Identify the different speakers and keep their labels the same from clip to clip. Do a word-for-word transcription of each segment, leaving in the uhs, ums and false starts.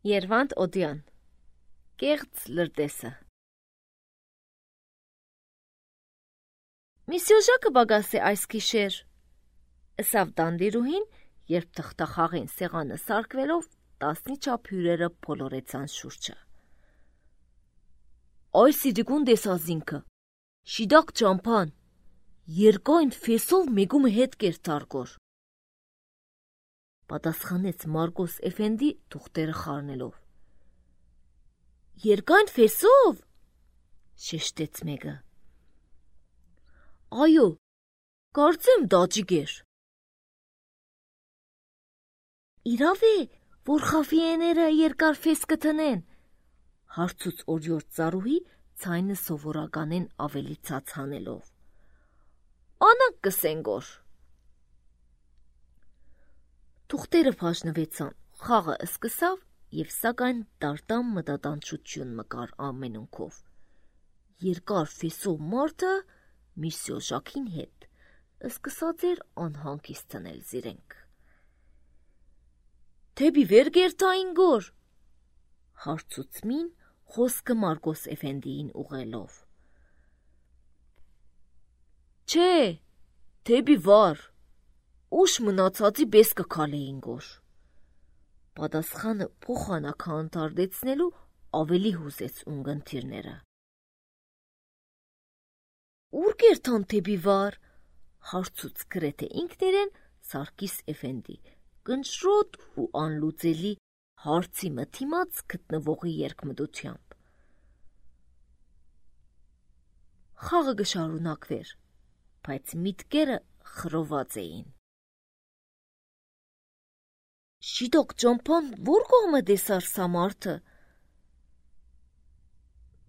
Speaker 1: Երվանդ Օդյան Կեղծ լրտեսը Մի սյուժակը բագաս է այս գիշեր, ըսավ Տանդիրուհին, երբ թղթախաղին սեղանը սարկվելով տասնի չափ հյուրերը փոլորեցան շուրջը։ Այս իրիկուն դեսազինքը, շիդակ ճամփան, երկայն ֆեսով մեգում հետ կերտարգոր։ Պատասխանեց Մարգոս Էֆենդի թուղթերը խառնելով։ Երկայն ֆեսով, շեշտեց մեկը։ Այո, կարծեմ դաջիկ էր։ Իրավ է, որ խավիեները երկար ֆես կթնեն, հարցուց օրիորդ ծառուհի ցայնը սովորականեն ավելի ցած հանելով։ Անանք կսենգոր։ Թուղթերը բաժնվեցան, խաղը սկսավ և սակայն տարտամ մտատանչություն մկար ամենունքով։ Երկար ֆեսով մարդը մի սյուժակին հետ սկսած էր անհանգիստ թնել զիրենք։ Թեպի վեր գերտային գոր, հարցուց մին խոսքը Մարգոս Էֆենդիին ուղելով։ Չէ, թեպի վար, ուշ մնացածի բես կքալեին գոր։ Պատասխանը փոխանակը անդարդեցնելու ավելի հուզեց ունգընթիրները։ Ուր գերտան թեպի վար, հարցուց գրեթե ինքներեն Սարգիս Էֆենդի, կնշրոտ ու անլուծելի հարցի մթիմաց գտնվողի երկմտությամբ։ Խաղը գշարունակվեր, բայց միտքերը խռոված էին։ Շիդակ ճամփան որ կողմը դեսար սա մարդը։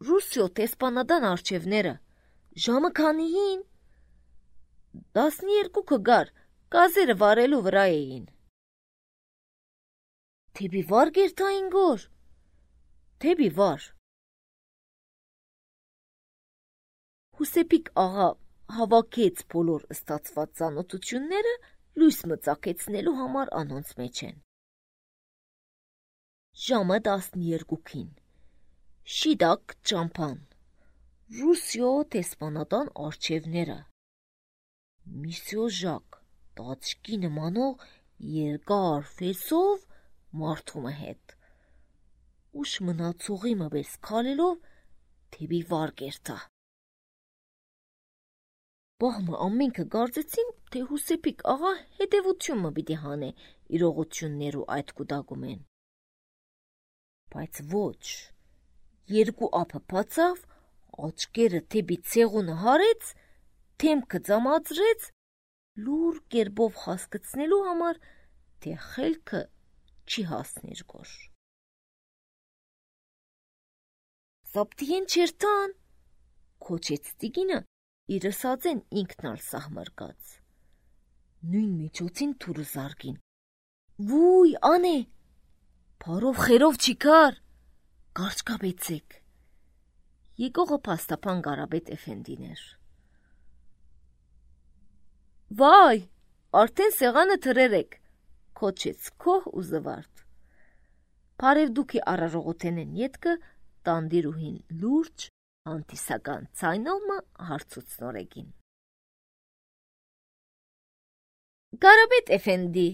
Speaker 1: Ռուսիո տեսպանադան արջևները, ժամը քանիին։ Դասնիերկուքը գար, գազերը վարելու վրա էին։ Թեպի վար գերտային գոր, թեպի վար։ Հուսեպիկ աղա հավաքեց բոլոր ստացված ծանոթությունները լույս մծակեցնելու համար անոնց մեջ են։ Ժամը տասնյերկուքին, շիդակ ճամփան, Ռուսիո տեսպանատան արջևները, մի սյուժակ, տաճկի նմանող երկար ֆեսով մարդումը հետ, ուշ մնացողի մբես քալելով թեպի վար գերտա։ Բահմը ամենքը գարձեցին, թե Հուսեպիկ աղա հետևությունը պիտի հանե իրողություններու այդ կուտակում են։ Բայց ոչ, երկու ափը բացավ, աչկերը թեպի ցեղունը հարեց, թեմքը ծամածրեց, լուր կերպով հասկացնելու համար, թե խելքը չի հասնիր գոր։ Սապտիեն չերտան, քոչեց տիկինը, իր սածեն ինքնալ սահմրկած։ Նույն միջոցին թուրը զարգին։ Վույ, անե, Փարով խերով չի կար, կարճկաբեցեք։ Եկողը պաստապան Կարապետ Էֆենդին էր։ Վայ, արդեն սեղանը թրերեք, քոչեց քոհ ու զվարդ։ Փարև դուքի առարողութենեն ետքը Տանդիրուհին լուրջ անտիսական ցայնովը հարցուց նորեգին։ Կարապետ Էֆենդի,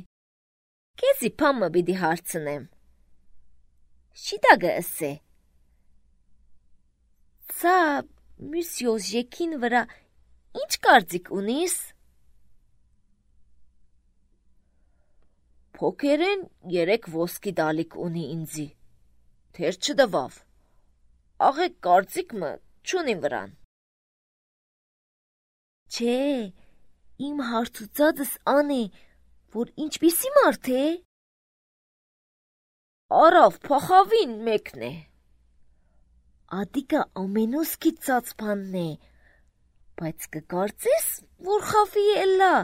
Speaker 1: քեզի փամը պիտի հարցնեմ։ Շիդագը ըսե։ Սա մյուսյո ժեքին վրա ինչ կարծիք ունիս։ Փոքերեն երեք ոսկի դալիք ունի ինձի, թեր չդվավ, աղեք կարծիքմը չունիմ վրան։ Չէ, իմ հարցուցածս ան է, որ ինչպիսի մարդ է։ Արավ փախավին մեկն է։ Ադիկը ամենուսքի ծածփանն է, բայց կկարծես, որ խավի էլա։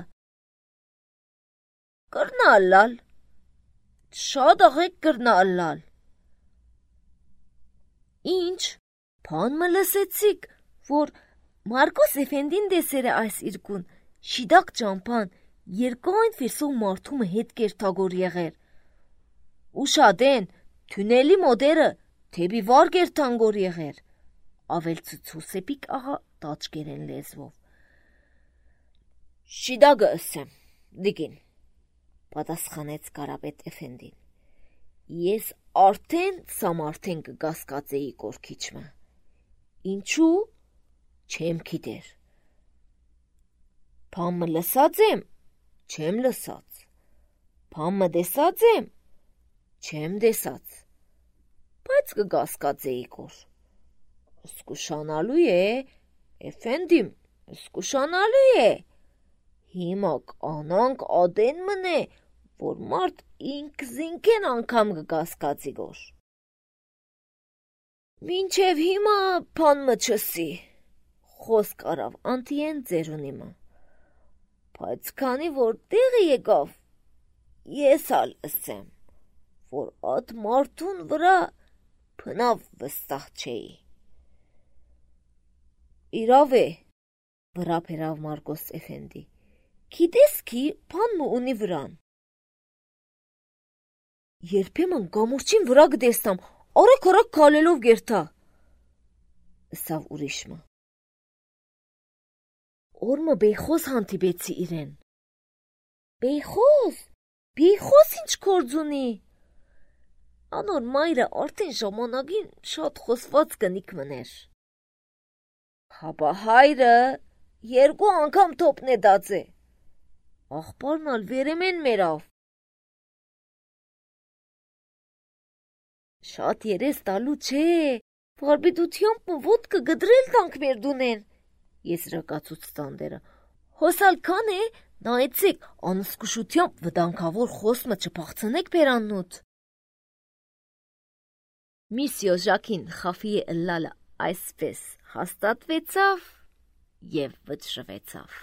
Speaker 1: Կրնալալ, շատ աղեք կրնալալ։ Ինչ, փան մը լսեցիք, որ Մարգոս Էֆենդին դեսերը այս իրկուն, շիդակ ճամփան, երկայն ֆեսով մարդումը հետ կերտագոր եղեր։ Ուշադեն, Թունելի մոդերը թեպի վար գերտանգոր եղեր, ավելցուց Հուսեփիկ աղա տաճկերեն լեզվով։ Շիդագը ասեմ, դիգին, պատասխանեց Կարապետ Էֆենդին։ Ես արդեն սամարթեն կգասկածեի կորքիչմը։ Ինչու՞, չեմ գիտեր։ Փամը լսած եմ, չեմ լսած։ Փամը դեսած եմ, չեմ դեսած։ Բայց կգասկածեի կոր։ Սկուշանալու է, Էֆենդիմ, սկուշանալու է։ Հիմա կանանք ադեն մնե, որ մարդ ինքզինքեն անգամ կգասկածի գոր։ Մինչև հիմա փանմը չսի, խոսք արավ անտիեն ձերունիմը։ Բայց քանի որ տեղը եկավ, ես ալ ասեմ, որ այդ մարդուն վրա փնավ վստահ չէի։ Իրավ է, վրա բերավ Մարկոս Էֆենդի, գիտես քի փանմը ունի վրան։ Երբեմն գամուրջին վրա գտեստամ, արագ-արագ քալելով գերտա, ասավ ուրիշը։ Օրմը բեյխոզ հանդիպեցի իրեն։ Բեյխոզ, բեյխոզ ինչ գործ ունի։ Անոր մայրը արդեն ժամանակին շատ խոսված կնիկ մներ։ Հապա հայրը երկու անգամ թոպն է դածե։ Աղբարն ալ վերեմեն մերավ։ Շատ երես տալու չէ, վարբիդությամբ ոտ կգդրել տանք մեր դունեն, ես ռակացուց տանդերը, հոսալ կան է, նայեցեք, անսկուշությամբ վդանքավոր խոսմը չպաղցնեք բերաննուտ։ Միսյո Ժակին խաֆի է ըլլալը այսպես հաստատվեցավ և վճռվեցավ։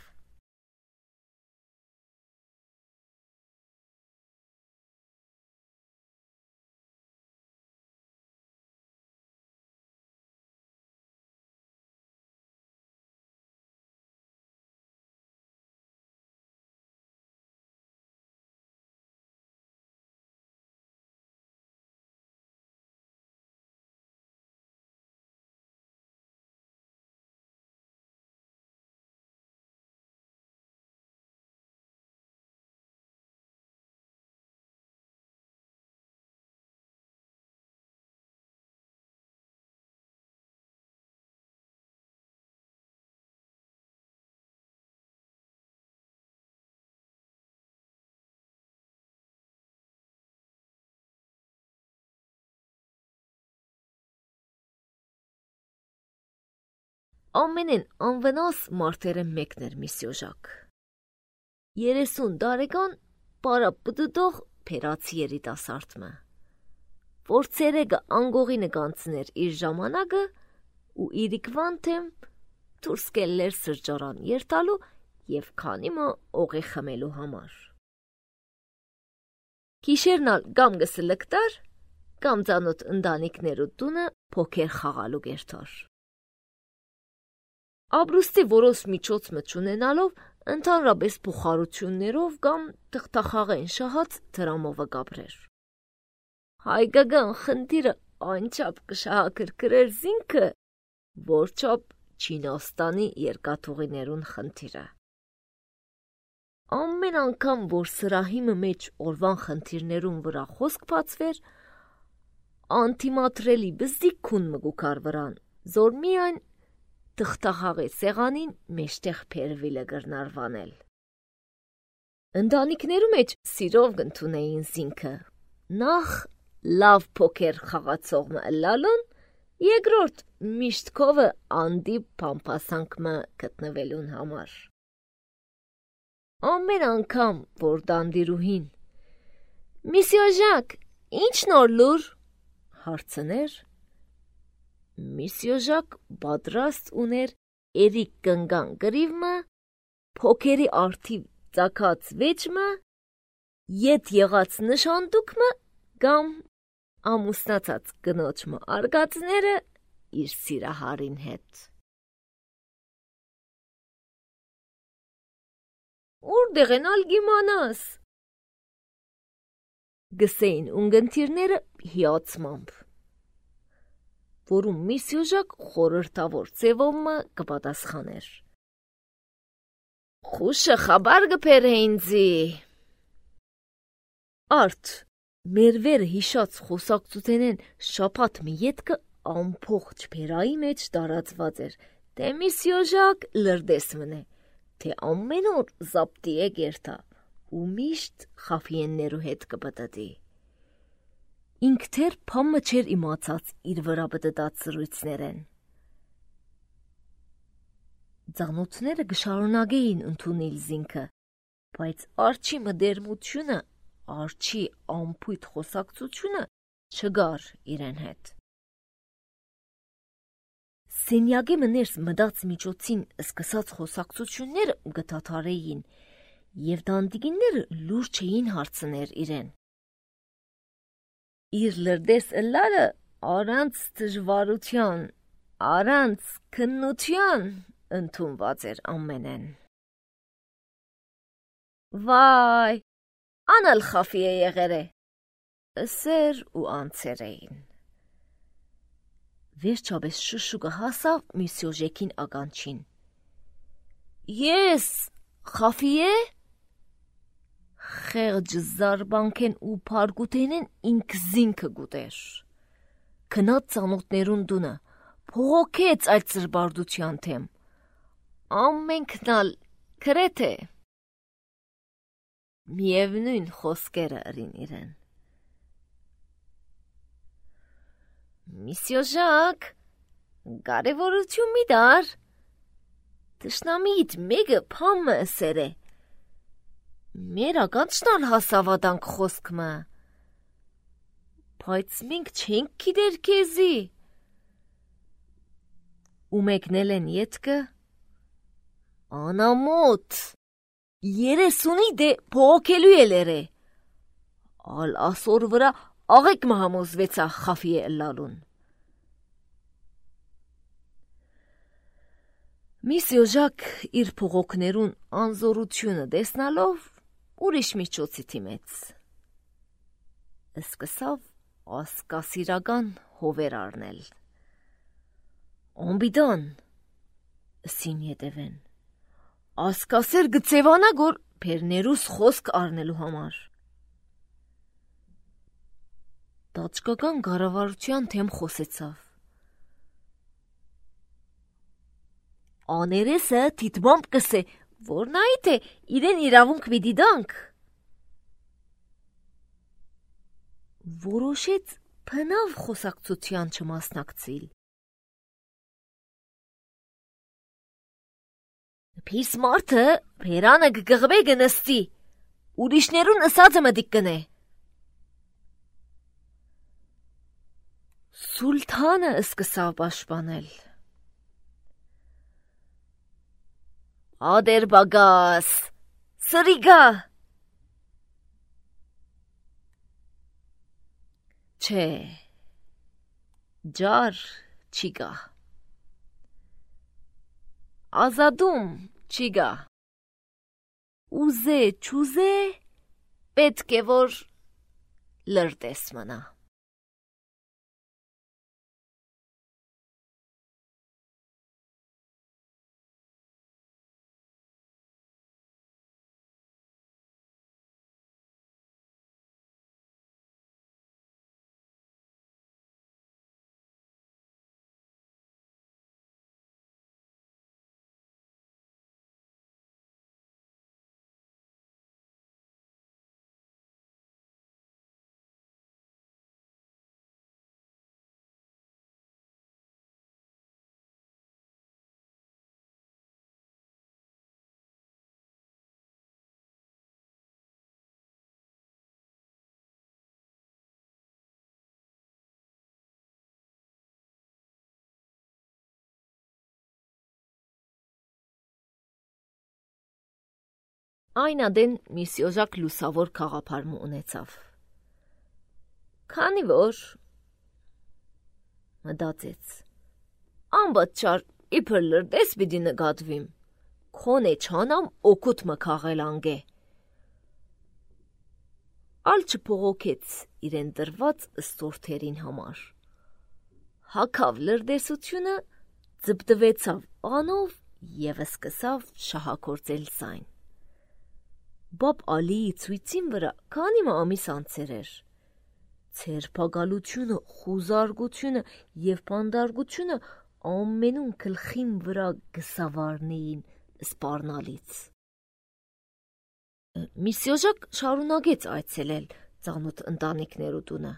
Speaker 1: Ամենեն անվնաս մարդերը մեկն էր Միսյո Ժակ։ Երեսուն դարեկան պարապտուտող փերացի երիտասարդը, որ ցերեգը անգողինը կանցներ իր ժամանակը ու իրիկվան թեմ դուրս կելներ սրճարան երթալու և քանիմը օղի խմելու համար։ Գիշերնալ կամ գսլկտար, կամ ծանոթ ընտանիքներու տունը փոքեր խաղալու գերտար։ Ապրուստի որոշ միջոցը չունենալով ընդհանրապես փոխարություններով կամ թղթախաղեն շահած դրամովը գաբրեր։ Հայկական խնդիրը անչափ կշահակրկրեր զինքը, որչափ Չինաստանի երկաթուղիներուն խնդիրը։ Ամեն անգամ, որ սրահիմը մեջ օրվան խնդիրներուն վրա խոսք բացվեր, անտիմատրելի բզդիկ քուն մգուքար վրան, զոր միայն թղթախաղի սեղանին մեջտեղ փերվիլը գրնարվանել։ Ընտանիքներու մեջ սիրով գնդունեին զինքը, նախ լավ փոքեր խաղացողը ըլլալուն, երկրորդ միշտ քովը անդի փամփասանքմը գտնվելուն համար։ Ամեն անգամ, որ դանդիրուհին Միսյո Ժակ, ինչ նոր լուր, հարցներ, Միսյո Ժակ պատրաստ ուներ երիկ կնգան գրիվմը, փոքերի արդիվ ծակած վեճմը, ետ եղած նշանդուկմը կամ ամուսնացած կնոջմը արգածները իր սիրահարին հետ։ Ուր դեղենալ գիմանաս։ գսեին ունգընթիրները հիացմամբ, որում Միսյուժակ խորհրդավոր ձևով կպատասխաներ. Խուշը խաբար գպեր հեինձի։ Արդ, մեր վերը հիշած խոսակցութենեն շապատ մի ետքը ամփող չպերայի մեջ տարածված էր, թե Միսյուժակ լրդես մնե, թե ամեն օր զապտի է գերտա ու միշտ խաֆիեններու հետ կպտտի։ Ինք թեր փամը չեր իմացած իր վրա պտտած սրույցներեն։ Ձանոթները գշարունակեին ընդունել զինքը, բայց արջի մդերմությունը, արջի ամփույթ խոսակցությունը չգար իրեն հետ։ Սենյակի մներս մդած միջոցին սկսած խոսակցությունները գտաթարեին և դանդիգինները լուր չէին հարցներ իրեն։ Իր լրդես ըլլարը առանց դժվարության, առանց քննության ընդունված էր ամենեն։ Վայ, անալ խաֆի է եղեր է, ըսեր ու անցեր էին։ Վերջապես շուշուկը հասավ Միսյուժեկին ականջին։ Ես, խաֆի է։ Խեղճ զարբանքեն ու փարգութենեն ինք զինքը գուտեր։ Քնած ծանոթներուն դունը, փողոքեց այդ ծրբարդության թեմ։ Ամենքնալ քրեթե։ Միևնույն խոսքերը ըրին իրեն։ Միսյուժակ, կարևորություն մի դար, թշնամիդ մեկը փամը ըսեր է, մեր ականջնալ հասավադանք խոսքմը, բայց մենք չենք գիտեր քեզի, ու մեկնել են ետքը, անամոտ, երեսունի դե փողոքելու էլ է, ալ ասոր վրա աղեկ մհամոզվեցա խաֆի է ըլլալուն։ Միսյուժակ իր փողոքներուն անզորությունը դեսնալով ուրիշ միջոցի թիմեց։ Սկսավ ասկասիրական հովեր առնել։ Ամբիդան, ըսին ետևեն, ասկասեր գծևանա գոր պերներուս խոսք առնելու համար։ Տաճկական գարավարության թեմ խոսեցավ։ Աներեսը թիտմամբ կսե, որ նայիտ է իրեն իրավունք մի դիդանք։ Որոշեց փնավ խոսակցության չմասնակցիլ։ Պիս մարդը պերանը գգղբե գնստի, ուրիշներուն ըսածը մդիկ կնե։ Սուլթանը սկսավ պաշտպանել։ Ադերբագաս, սրիգա։ Չէ, ջար չի գա։ Ազադում չի գա։ Ուզե չուզե, պետք է որ լրտես մնա։ Այն ադեն Միսյուժակ լուսավոր քաղափարմու ունեցավ։ Քանի որ մտածեց, անբաճար իբր լրտես պիտի նկատվիմ, քոնե չանամ օգուտ մը քաղել անգե։ ալ չփողոքեց իրեն դրված ստորթերին համար։ Հակավ լրդեսությունը, ձբդվեցավ անով և սկսավ շահագործել զայն։ Բաբ Ալիի ցույցին վրա քանի ամիս անցեր էր։ Ցերպակալությունը, խուզարկությունը և պանդարգությունը ամենուն գլխին վրա գսավարնեին սպառնալից։ Միսյոժակ շարունակեց այցելել ծանոթ ընտանիքներու տունը։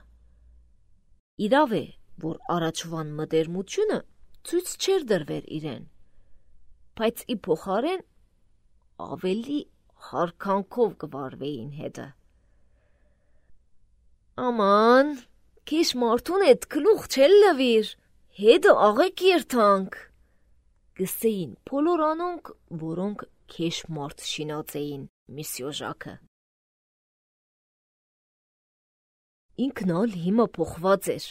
Speaker 1: Իրավ է, որ առաջվան մտերմությունը ցույց չէր դրվեր իրեն, բայց ի փոխարեն ավելի հարկանքով կվարվեին հետը։ Աման, քեշ մարդուն էդ գլուխ չել լվիր, հետը աղեք երթանք, գսեին բոլոր անոնք, որոնք քեշ մարդ շինած էին Միսյոժակը։ Ինքն ալ հիմա փոխված էր,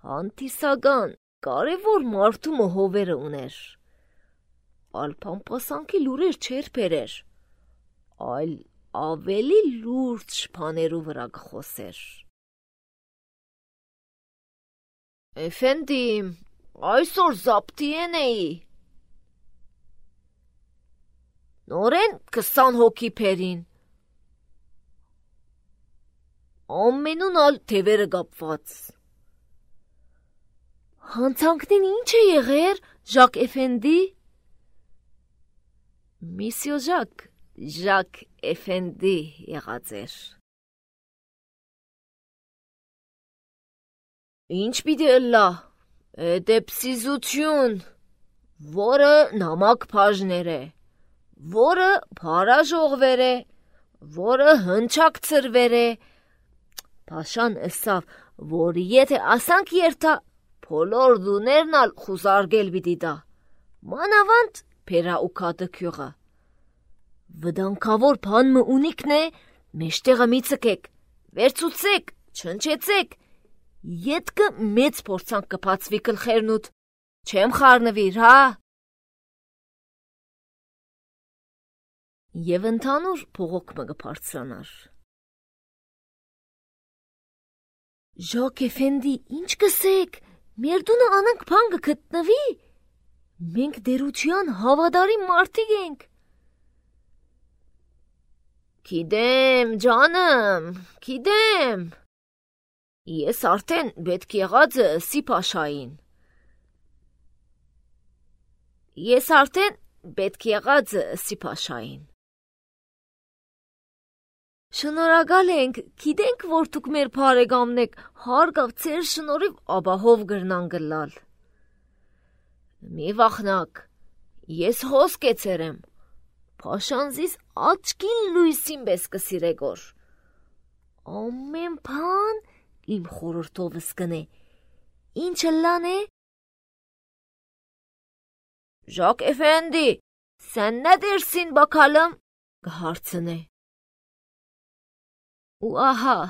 Speaker 1: հանդիսական, կարևոր մարդու հովերը ուներ, ալ փամփասանքի լուրեր չէր բերեր, այլ ավելի լուրջ բաներու վրա կխոսեր։ Էֆենդի, այսօր զապտի էի։ Նորեն քսան հոգի բերին։ Ամենուն ալ թևերը կապված։ Հանցանքնին ինչ է եղեր, Ժակ Էֆենդի։ Միսյոժակ Ժակ Էֆենդի եղած էր։ Ինչ պիտի ըլլա, էդեպսիզություն, որը նամակ բաժներ է, որը փարաժողվեր է, որը հնչակ ծրվեր է, Փաշան ըսավ, որ եթե ասանք երթա, բոլոր դուներն ալ խուզարգել պիտի տա, մանավանդ փերա ու քադը։ Վդանքավոր բան մը ունիքն է, մեջտեղը մի ցկեք, վերցուցեք, չնչեցեք, ետքը մեծ փորձանք կփածվի գլխերնուդ, չեմ խառնվիր, հա։ Եվ ընդհանուր փողոք մը կբարձրանար։ Ժակ Էֆենդի, ինչ կսեք, մեր դունը անանք բան կգտնվի, մենք դերության հավադարի մարդիկ ենք։ Գիտեմ, ջանım, գիտեմ, ես արդեն պետք եղածը Սիփաշային։ Ես արդեն պետք եղածը Սիփաշային։ Շնորհակալ ենք, գիտենք, որ դուք մեր բարեկամն եք, հարգավ ձեր շնորհիվ ապահով գրնան գլալ։ Մի վախնակ, ես հոսք էցերեմ, Փաշանզիս աչքին լույսին պես կսիրեգոր։ Ամեն բան իմ խորհրդովս կնե, ինչը լան է։ Ժակ Էֆենդի, sen ne dersin bakalım, կհարցնե։ Ու ահա,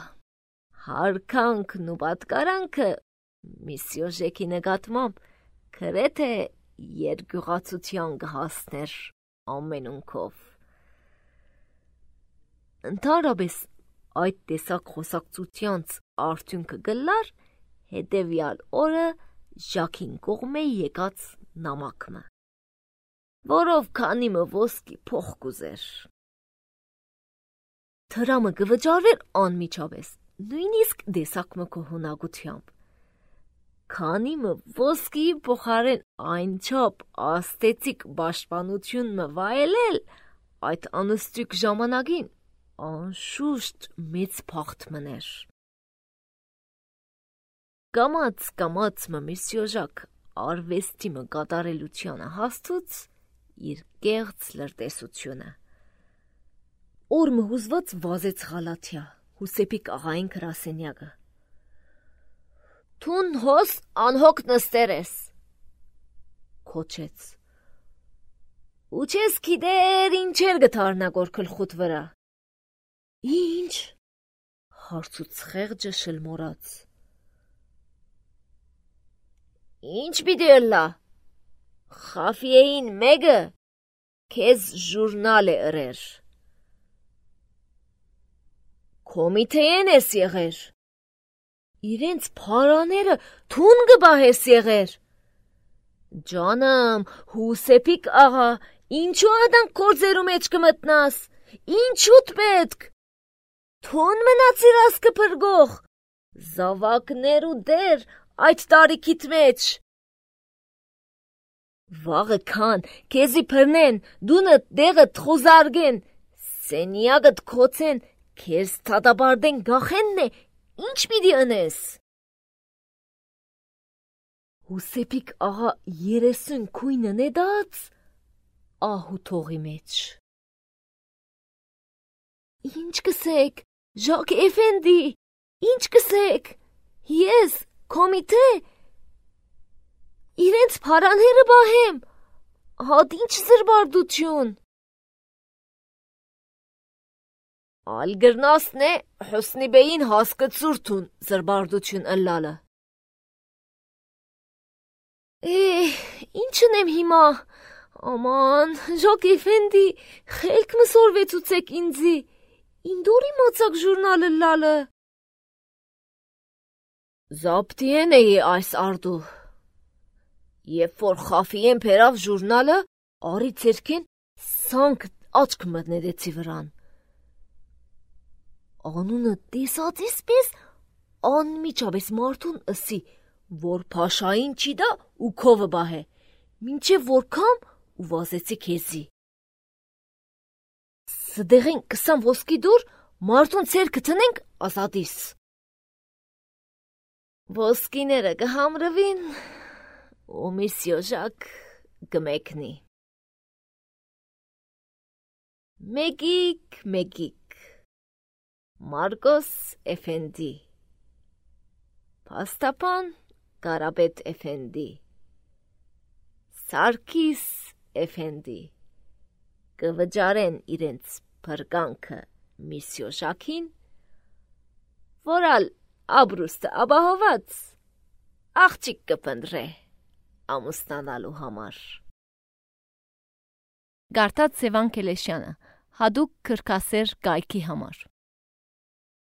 Speaker 1: հարկանքն ու պատկարանքը Միսյոժեկի նկատմամբ գրեթե երկյուղացության կհասներ ամենունքով։ Ընդհանրապես այդ տեսակ խոսակցությանց արդյունքը գլար հետևյալ օրը Ժակին կողմե եկած նամակը, որով քանի մը ոսկի փող կուզեր։ Թրամը կվճարվեր անմիջապես, նույնիսկ դեսակ մը կողունակությամբ։ Քանի մը ոսկի փոխարեն այնչափ աստեցիկ պաշտպանություն մը վայելել, այդ անստիկ ժամանակին անշուշտ մեծ փախտ մներ։ Կամաց կամաց մը Միսյոժակ արվեստի մը կատարելությանը հաստուց իր կեղծ լրտեսությունը։ Օրը հուզված վազեց Ղալաթիա, Հուսեփիկ աղային գրասենյակը։ Թուն հոս անհոգ նստեր ես, քոչեց։ Ու չես գիտեր ինչեր գթարնագոր գլխուտ վրա։ Ինչ, հարցուց խեղճը շլմորած։ Ինչ պիտի ըլլա, խաֆիեին մեկը քեզ ժուրնալ է ըրեր։ Կոմիթեին ես եղեր։ Իրենց փարաները թուն գբահես եղեր։ Ջանım, Հուսեփիկ աղա, ինչու ադան կորձերու մեջ կմտնաս։ Ինչուտ պետք։ Թուն մնացիր ասկը փրգող։ Զավակներ ու դեր այդ տարիքիդ մեջ։ Վաղը քան քեզի փրնեն, դունը դեղդ խոզարգեն, սենյակդ քոցեն, քեզ թադաբարդեն գախենն է, ինչ պիտի ընես։ Հուսեփիկ աղա երեսուն քույնը նեդած ահու թողի մեջ։ Ինչ կսեք, Ժակ Էֆենդի, ինչ կսեք, ես, կոմիթե, իրենց փարանները բահեմ, հատ ինչ զրբարդություն։ Ալ գրնասն է Հոսնի բեին հասկացուրթուն զրբարդություն ըլլալը։ Էհ, ինչն եմ հիմա, աման, Ժակ Էֆենդի, խելք մսորվեցուցեք ինձի, ինդորի մացակ ժուրնալը լալը։ Զապտիեն էի այս արդու։ Եվ որ խավիեն պերավ ժուրնալը, արի ծերքեն սանք աչք մտնեդեցի վրան։ Անունը տեսածիս պես անմիջապես մարդուն ըսի, որ փաշային չի դա ու քովը բահե, մինչև որ կամ ու վազեցի քեզի։ Սդեղեն կսամ ոսկի դուր, մարդուն ծերքը տնենք ազատիս։ Ոսկիները կհամրվին, ու միսյո Ժակ կմեկնի։ Մեկիկ, մեկիկ, Մարկոս Էֆենդի, Փաստապան Կարապետ Էֆենդի, Սարգիս Էֆենդի, կվճարեն իրենց փրկանքը միսյո Ժակին, որալ աբրուստը աբահոված աղջիկ կպնդրե ամուսնանալու համար։
Speaker 2: Գարտած Սևան Կելեշյանը, հադուկ քրքասեր կայքի համար։